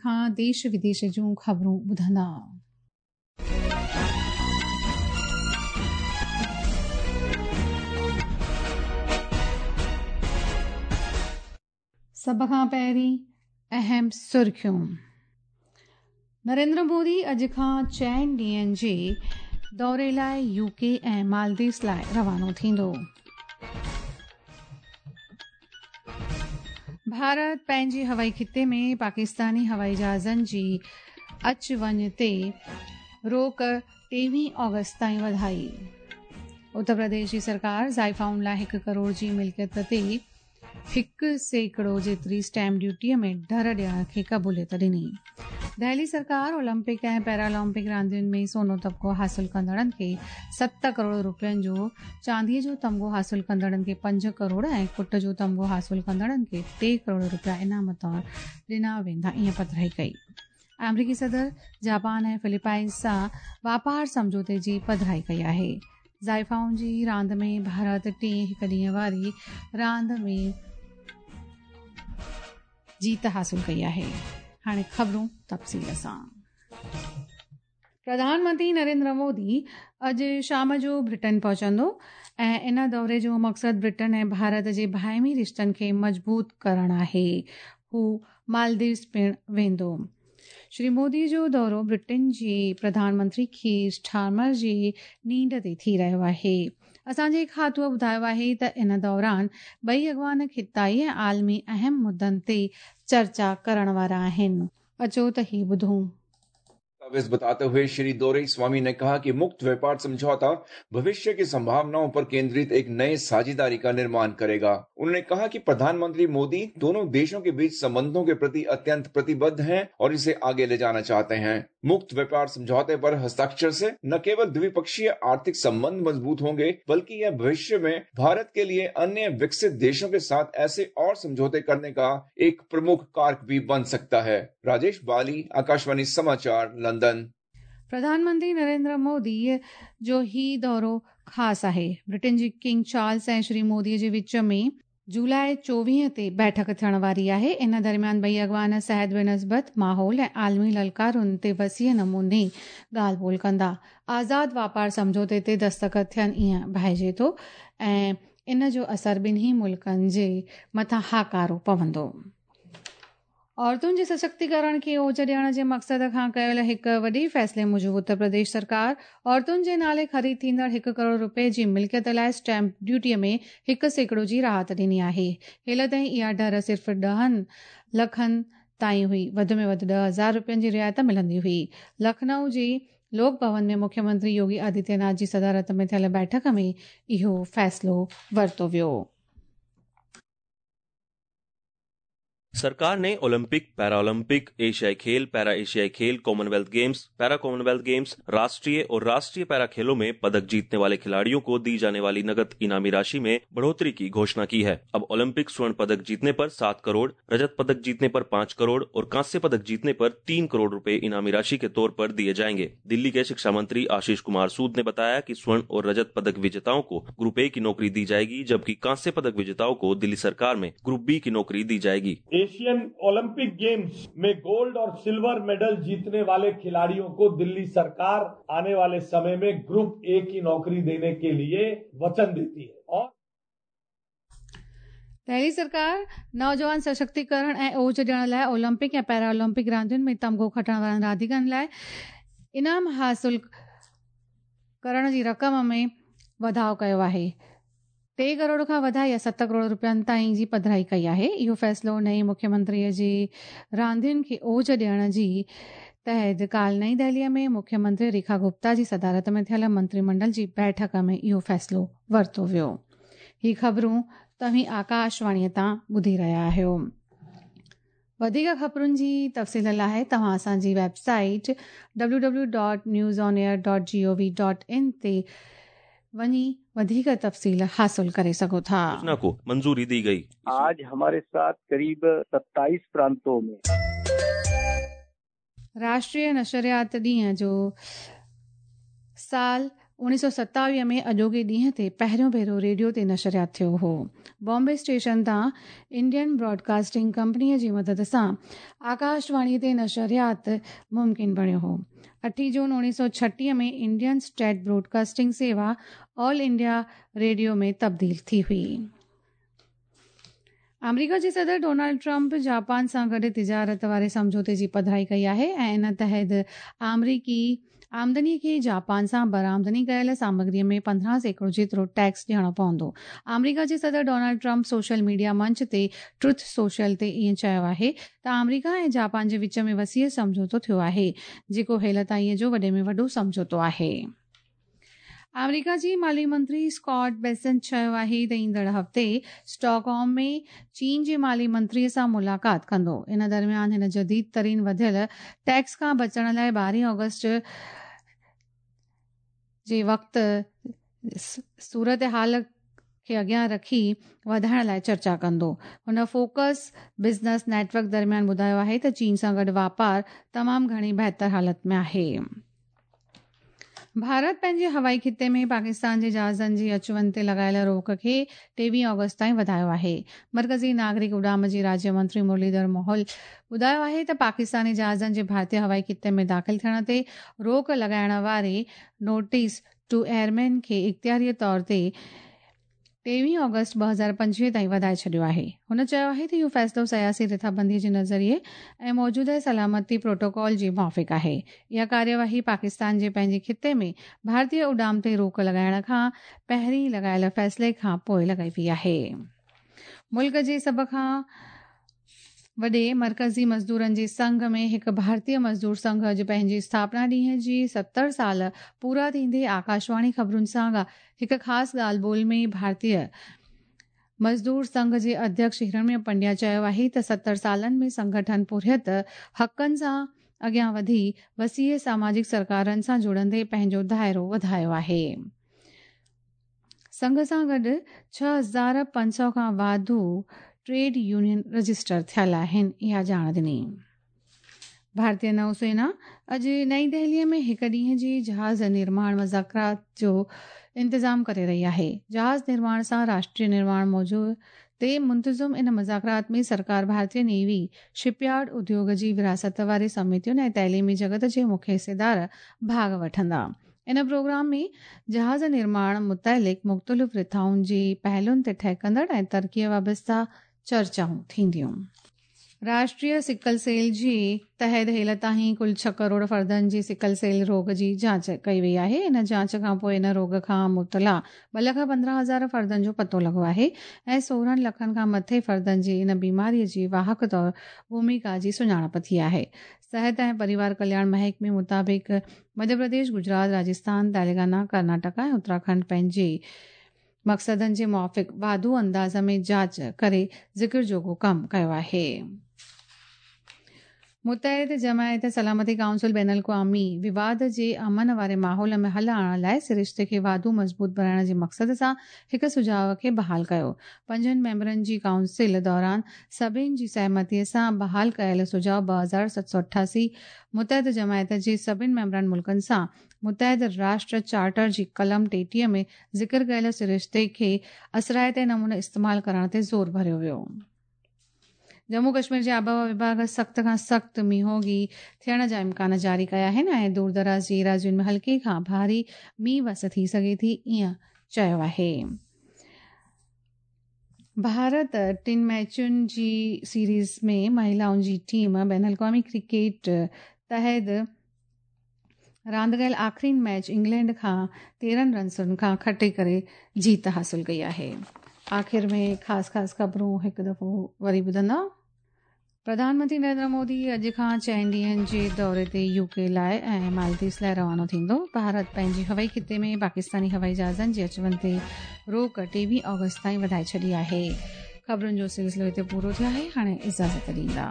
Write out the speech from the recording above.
खां देश विदेश जूं ख़बरूं ॿुधंदा। सभ खां पहिरीं अहम सुर्खियूं। नरेंद्र मोदी अॼु खां 4 ॾींहंनि जे दौरे लाइ यूके ऐं मालदीव्स लाइ रवानो थींदो। भारत पंहिंजे हवाई ख़िते में पाकिस्तानी हवाई जहाज़नि जी अच वञ ते रोक 23 ऑगस्ट ताईं वधाई। उत्तर प्रदेश जी सरकार ज़ाइफ़ाउनि लाइ 1 करोड़ जी मिल्कियत ते 1% जेतिरी स्टैम्प ड्यूटीअ में ढर ॾियण खे क़बूलियत ॾिनी। दिल्ली सरकार ओलंपिक ऐं पैरालंपिक रांदियुनि में सोनो तमगो हासिल कंदड़नि खे 7 करोड़ रुपयनि जो, चांदीअ जो तमगो हासिल कंदड़नि खे 5 करोड़ ऐं कुट जो तमगो हासिल कंदड़नि खे 3 करोड़ रुपया इनाम तौर ॾिना वेंदा, ईअं पधराई कई। अमरीकी सदर जापान ऐं फिलिपाइंस सां वापार सम्झौते जी पधराई कई आहे। ज़ाइफ़ाउनि जी रांदि में भारत टे हिक ॾींहं वारी रांदि में जीत हासिल कई आहे। हाणे ख़बरूं तफ़सील सां। प्रधानमंत्री नरेंद्र मोदी अॼु शाम जो ब्रिटेन पहुचंदो ऐं इन दौरे जो मक़सदु ब्रिटेन ऐं भारत जे भाइमी रिश्तनि खे मज़बूत करणु आहे। हू मालदीव्स पिणु वेंदो। श्री मोदी जो दौरो ब्रिटेन जे प्रधानमंत्री कीर स्टार्मर जी नींड ते थी रहियो आहे। असांजे खातूअ ॿुधायो आहे त इन दौरान ॿई अॻवान ख़िताई ऐं आलमी अहम मुद्दनि ते चर्चा करण वारा आहिनि। अचो त ही ॿुधूं। दस्तावेज बताते हुए श्री दोरईस्वामी ने कहा कि मुक्त व्यापार समझौता भविष्य की संभावनाओं पर केंद्रित एक नए साझेदारी का निर्माण करेगा। उन्होंने कहा कि प्रधानमंत्री मोदी दोनों देशों के बीच संबंधों के प्रति अत्यंत प्रतिबद्ध हैं और इसे आगे ले जाना चाहते हैं। मुक्त व्यापार समझौते पर हस्ताक्षर से न केवल द्विपक्षीय आर्थिक संबंध मजबूत होंगे, बल्कि यह भविष्य में भारत के लिए अन्य विकसित देशों के साथ ऐसे और समझौते करने का एक प्रमुख कारक भी बन सकता है। राजेश बाली, आकाशवाणी समाचार, लंदन। प्रधानमंत्री नरेंद्र मोदी जो ही दौरो ख़ासि आहे। ब्रिटेन जी किंग चार्ल्स ऐं श्री मोदी जे विच में जुलाई 24 ते बैठक थियण वारी आहे। इन दरमियान ॿई अॻवान सिहत बनिस्बत माहौल ऐं आलमी ललकारुनि ते वसीअ नमूने ॻाल्हि ॿोल कंदा। आज़ाद वापार सम्झौते ते दस्तख़त थियनि ईअं भाइजे थो ऐं इन जो असरु ॿिन्ही मुल्कनि जे मथां हाकारो पवंदो। औरतुनि जे सशक्तिकरण खे ओज ॾियण जे मक़सद खां कयल हिकु वॾे फ़ैसिले मूजिबि उत्तर प्रदेश सरकार औरतुनि जे नाले ख़रीद थींदड़ 1 करोड़ रुपये जी मिल्कियत लाइ स्टैम्प ड्यूटीअ में 1% जी राहत ॾिनी आहे। हिल ताईं इहा ढर सिर्फ़ 10 लखनि ताईं हुई। वधि में वधि 10,000 रुपयनि जी रिआयत मिलंदी हुई। लखनऊ जे लोक भवन में मुख्यमंत्री योगी आदित्यनाथ जी सदारत में थियल बैठक में इहो फ़ैसिलो वरितो वियो। सरकार ने ओलंपिक, पैरालंपिक, एशियाई खेल, पैरा एशियाई खेल, कॉमनवेल्थ गेम्स, पैरा कॉमनवेल्थ गेम्स, राष्ट्रीय और राष्ट्रीय पैरा खेलों में पदक जीतने वाले खिलाड़ियों को दी जाने वाली नगद इनामी राशि में बढ़ोतरी की घोषणा की है। अब ओलंपिक स्वर्ण पदक जीतने पर 7 करोड़, रजत पदक जीतने पर 5 करोड़ और कांस्य पदक जीतने पर 3 करोड़ रुपए इनामी राशि के तौर पर दिए जाएंगे। दिल्ली के शिक्षा मंत्री आशीष कुमार सूद ने बताया कि स्वर्ण और रजत पदक विजेताओं को ग्रुप ए की नौकरी दी जाएगी, जबकि कांस्य पदक विजेताओं को दिल्ली सरकार में ग्रुप बी की नौकरी दी जाएगी। एशियन ओलंपिक गेम्स में गोल्ड और सिल्वर मेडल जीतने वाले खिलाड़ियों को दिल्ली सरकार आने वाले समय में ग्रुप ए की नौकरी देने के लिए वचन देती है। और दिल्ली सरकार नौजवान सशक्तिकरण ऐं ओज ॾियण लाइ ओलंपिक ऐं पैरालंपिक रांदियुनि में तमगो खटण वारनि रांदीगरनि लाइ इनाम हासिल करण जी रक़म में वाधाव कयो आहे। 3 करोड़ खां वधाई ऐं 7 करोड़ रुपयनि ताईं जी पधराई कई आहे। इहो फ़ैसिलो नए मुख्यमंत्रीअ जे रांदियुनि खे ओज ॾियण जी तहत काल्ह नई दिल्लीअ में मुख्यमंत्री रेखा गुप्ता जी सदारत में थियल मंत्रिमंडल जी बैठक में इहो फ़ैसिलो वरितो वियो। ही ख़बरूं तव्हीं आकाशवाणीअ तां ॿुधी रहिया आहियो। वधीक ख़बरुनि जी तफ़सील लाइ तव्हां असांजी वेबसाइट www.newsonair.gov.in ते वञी वधीक तफ़सील हासिल करे सघो था। योजना को मंजूरी दी गई। आज हमारे साथ करीब 27 प्रांतों में राष्ट्रीय नशरियात ॾींहं जो साल 1927 ۾ اڄوڪي ڏينهن تي پهريون ڀيرو ريڊيو تي نشريات ٿيو هو. بامبي اسٽيشن تان انڊين براڊڪاسٽنگ ڪمپنيء جي مدد سان آڪاشواڻيء تي نشريات ممڪن بڻيو هو. اٺين جون 1936 ۾ انڊين اسٽيٽ براڊڪاسٽنگ سيوا آل انڊيا ريڊيو ۾ تبديل ٿي هئي. آمريڪا جي صدر ڊونلڊ ٽرمپ جاپان سان گڏ تجارت واري سمجهوتي جي پڌرائي ڪئي آهي ۽ ان تحت آمريڪي آمدني کي جاپان سان برآمدني ڪيل سامگري ۾ 15% جيترو ٽيڪس ڏيڻو پوندو. آمريڪا جي صدر ڊونلڊ ٽرمپ سوشل ميڊيا منچ تي ٽروٿ سوشل تي ائين چيو آهي ته آمريڪا ۽ جاپان جي وچ ۾ وسيع سمجهوتو ٿيو آهي، جيڪو هيل تائين جو وڏي ۾ وڏو سمجهوتو آهي. آمريڪا جي مالي منتري اسڪاٽ بيسنٽ چيو آهي ته ايندڙ هفتي اسٽاڪهوم ۾ چين جي مالي منتري سان ملاقات ڪندو. ان درميان هن جديد ترين وڌيل ٽيڪس کان بچڻ لاء 12 آگسٽ جي وقت صورتحال کي اڳيان رکي وڌائڻ لاء چرچا ڪندو. هن فوڪس بزنس نيٽ ورڪ درميان ٻڌايو آهي ته چين سان گڏ واپار تمام گهڻي بهتر حالت ۾ آهي. ڀارت پنهنجي هوائي خطي ۾ پاڪستان جي جهازن جي اچ وڃ تي لڳايل روڪ کي 23 آگسٽ تائين وڌايو آهي. مرڪزي ناگرڪ اڏام جي راجيه منتري مرليڌر موهول ٻڌايو آهي ته پاڪستاني جهازن جي ڀارتي هوائي خطي ۾ داخل ٿيڻ تي روڪ لڳائڻ واري نوٽيس ٽو ايئرمين کي اختياري طور تي 23 آگسٽ 2025 تائين وڌائي ڇڏيو آهي. هن چيو آهي ته اهو فيصلو سياسي رٿابندي جي نظريي ۽ موجوده سلامتي پروٽوڪول جي موافق آهي. اها ڪارروائي پاڪستان جي پنهنجي خطي ۾ ڀارتي اڏام تي روڪ لڳائڻ کان پهرين لڳايل فيصلي کان پوء لڳائي وئي آهي. ملڪ جي سڀ کان وڏي مرڪزي مزدورن جي سنگهه ۾ هڪ ڀارتيه مزدور سنگهه اڄ پنهنجي اسٿاپنا ڏينهن جي 70 سال پورا ٿيندي آڪاشواڻي خبرن سان هڪ خاص ڳالهه ٻولهه ۾ ڀارتيه مزدور سنگهه جي اڌيڪش هرڻمي پنڊيا چيو آهي ته 70 سالن ۾ سنگٺن پورهيت حقن سان اڳيان وڌي وسيع ساماجڪ سرڪارن سان جڙندي پنهنجو دائرو وڌايو آهي. سنگهه سان گڏ 6500 کان واڌو ٽريڊ يونين رجسٽر ٿيل آهن، اها ڄاڻ ڏني. ڀارتي نوسينا اڄ نئين دهلي ۾ هڪ ڏينهن جي جهاز نرماڻ مذاڪرات جو انتظام ڪري رهي آهي. جهاز نرماڻ سان راشٽريه نرماڻ موضوع تي منتظم ان مذاڪرات ۾ سرڪار ڀارتي نيوي، شپ يارڊ اديوگ جي وراثت واري سمتين ۽ تعليمي جڳت جي مکيه حصيدار ڀاڳ وٺندا. ان پروگرام ۾ جهاز نرماڻ متعلق مختلف رٿائن جي پهلوئن تي ٺهڪندڙ ۽ ترقيء وابسته چرچائون ٿينديون. راشٽريه سڪل سيل جي تحت هيل تائين ڪل 6 ڪروڙ فردن جي سڪل سيل روڳ جي جاچ ڪئي وئي آهي. ان جاچ کان پوء ان روڳ کان مبتلا 2,15,000 فردن جو پتو لڳو آهي ۽ 16 لکن کان مٿي فردن جي ان بيماري جي واهڪ طور ڀوميڪا جي سڃاڻپ ٿي آهي. صحت ۽ پريوار ڪلياڻ محڪمي مطابق مڌيه پرديش، گجرات، راجسٿان، تيلنگانا، ڪرناٽڪا ۽ اتراکنڊ پنهنجي مقصدن جي موافق واڌو انداز ۾ جاچ ڪري ذڪر جوڳو ڪم ڪيو آهي. متحده جماعت سلامتي ڪائونسل بين الاقوامي وواد جي امن واري ماحول ۾ حل آڻڻ لاء سرشتي کي واڌو مضبوط بڻائڻ جي مقصد سان هڪ سجهاء کي بحال ڪيو. پنجن ميمبرن جي ڪائونسل دوران سڀني جي سهمتي سان بحال ڪيل سجهاء 2788 متحده جماعت جي سڀني ميمبران ملڪن سان متحده راشٽر چارٽر جي قلم 33 ۾ ذڪر ڪيل سرشتي کي اثرائتي نموني استعمال ڪرڻ تي زور ڀريو ويو. ڄمون ڪشمير جي آبهوا وڀاڳ سخت کان سخت مينهوڳي ٿيڻ جا امڪان جاري ڪيا آهن ۽ دور دراز جي ايراضين ۾ هلڪي کان ڀاري مينهن وس ٿي سگهي ٿي ائين چيو آهي. ڀارت ٽن ميچن جي سيريز ۾ مهلائن جي ٽيم بين الاقوامي ڪرڪيٽ تحت راند ڪيل آخرين ميچ انگلينڊ کان 13 رنسن کان کٽي ڪري جيت حاصل ڪئي آهي. آخر ۾ خاص خاص خبرون هڪ دفعو وري ٻڌندا. پرڌان منتري نريندر مودي اڄ کان چئن ڏينهن جي دوري تي يو ڪي لاء ۽ مالديوز لاء روانو ٿيندو. ڀارت پنهنجي هوائي خطي ۾ پاڪستاني هوائي جهازن جي اچ وڃ تي روڪ 23 آگسٽ تائين وڌائي ڇڏي آهي. خبرن جو سلسلو هتي پورو ٿيو آهي، هاڻي اجازت ڏيندا.